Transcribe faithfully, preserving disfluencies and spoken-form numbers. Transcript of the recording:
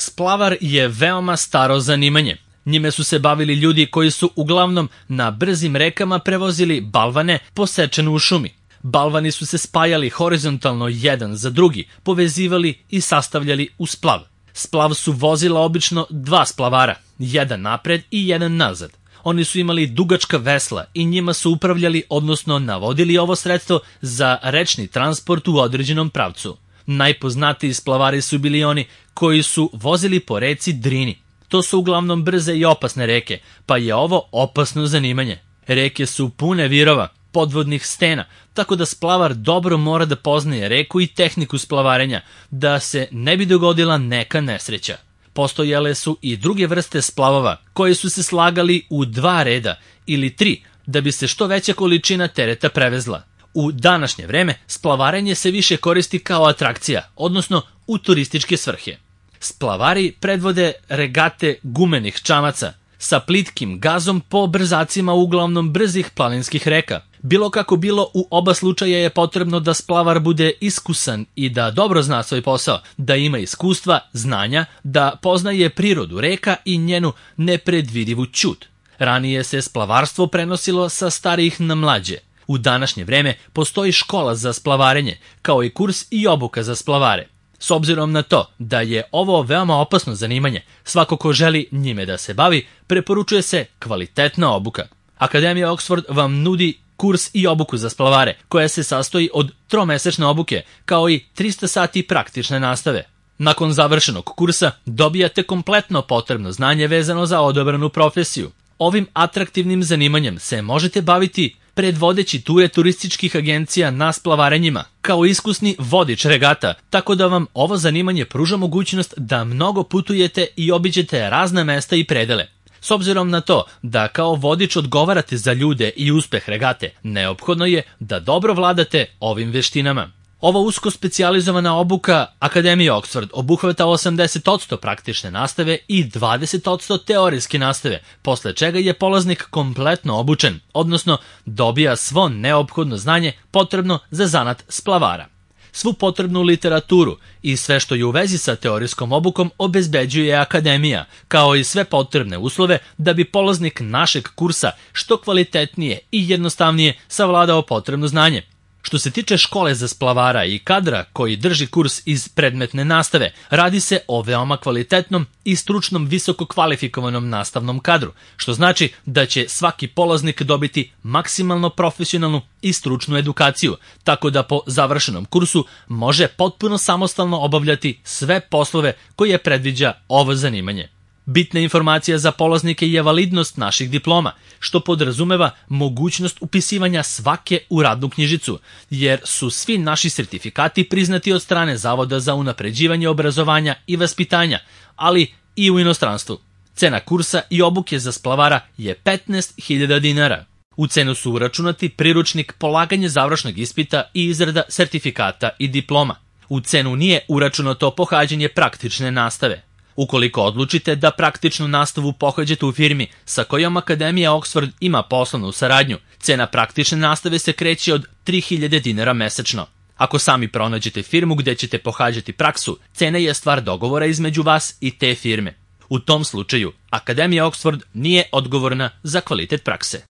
Splavar je veoma staro zanimanje. Njime su se bavili ljudi koji su uglavnom na brzim rekama prevozili balvane posečene u šumi. Balvani su se spajali horizontalno jedan za drugi, povezivali i sastavljali u splav. Splav su vozila obično dva splavara, jedan napred i jedan nazad. Oni su imali dugačka vesla i njima su upravljali, odnosno navodili ovo sredstvo za rečni transport u određenom pravcu. Najpoznatiji splavari su bili oni koji su vozili po reci Drini. To su uglavnom brze i opasne reke, pa je ovo opasno zanimanje. Reke su pune virova, podvodnih stena, tako da splavar dobro mora da poznaje reku i tehniku splavarenja, da se ne bi dogodila neka nesreća. Postojale su i druge vrste splavova, koje su se slagali u dva reda ili tri, da bi se što veća količina tereta prevezla. U današnje vreme splavarenje se više koristi kao atrakcija, odnosno u turističke svrhe. Splavari predvode regate gumenih čamaca sa plitkim gazom po brzacima uglavnom brzih planinskih reka. Bilo kako bilo, u oba slučaja je potrebno da splavar bude iskusan i da dobro zna svoj posao, da ima iskustva, znanja, da poznaje prirodu reka i njenu nepredvidivu ćud. Ranije se splavarstvo prenosilo sa starijih na mlađe. U današnje vreme postoji škola za splavarenje, kao i kurs i obuka za splavare. S obzirom na to da je ovo veoma opasno zanimanje, svako ko želi njime da se bavi, preporučuje se kvalitetna obuka. Akademija Oxford vam nudi kurs i obuku za splavare, koja se sastoji od tromesečne obuke, kao i trista sati praktične nastave. Nakon završenog kursa dobijate kompletno potrebno znanje vezano za odabranu profesiju. Ovim atraktivnim zanimanjem se možete baviti predvodeći ture turističkih agencija na splavarenjima, kao iskusni vodič regata, tako da vam ovo zanimanje pruža mogućnost da mnogo putujete i obiđete razna mesta i predele. S obzirom na to da kao vodič odgovarate za ljude i uspeh regate, neophodno je da dobro vladate ovim veštinama. Ova usko specijalizovana obuka Akademije Oxford obuhvata osamdeset posto praktične nastave i dvadeset posto teorijske nastave, posle čega je polaznik kompletno obučen, odnosno dobija svo neophodno znanje potrebno za zanat splavara. Svu potrebnu literaturu i sve što je u vezi sa teorijskom obukom obezbeđuje Akademija, kao i sve potrebne uslove da bi polaznik našeg kursa što kvalitetnije i jednostavnije savladao potrebno znanje. Što se tiče škole za splavara i kadra koji drži kurs iz predmetne nastave, radi se o veoma kvalitetnom i stručnom visoko kvalifikovanom nastavnom kadru, što znači da će svaki polaznik dobiti maksimalno profesionalnu i stručnu edukaciju, tako da po završenom kursu može potpuno samostalno obavljati sve poslove koje predviđa ovo zanimanje. Bitna informacija za polaznike je validnost naših diploma, što podrazumeva mogućnost upisivanja svake u radnu knjižicu, jer su svi naši sertifikati priznati od strane Zavoda za unapređivanje obrazovanja i vaspitanja, ali i u inostranstvu. Cena kursa i obuke za splavara je petnaest hiljada dinara. U cenu su uračunati priručnik, polaganje završnog ispita i izrada sertifikata i diploma. U cenu nije uračunato pohađanje praktične nastave. Ukoliko odlučite da praktičnu nastavu pohađate u firmi sa kojom Akademija Oxford ima poslovnu saradnju, cena praktične nastave se kreće od tri hiljade dinara mesečno. Ako sami pronađete firmu gde ćete pohađati praksu, cena je stvar dogovora između vas i te firme. U tom slučaju, Akademija Oxford nije odgovorna za kvalitet prakse.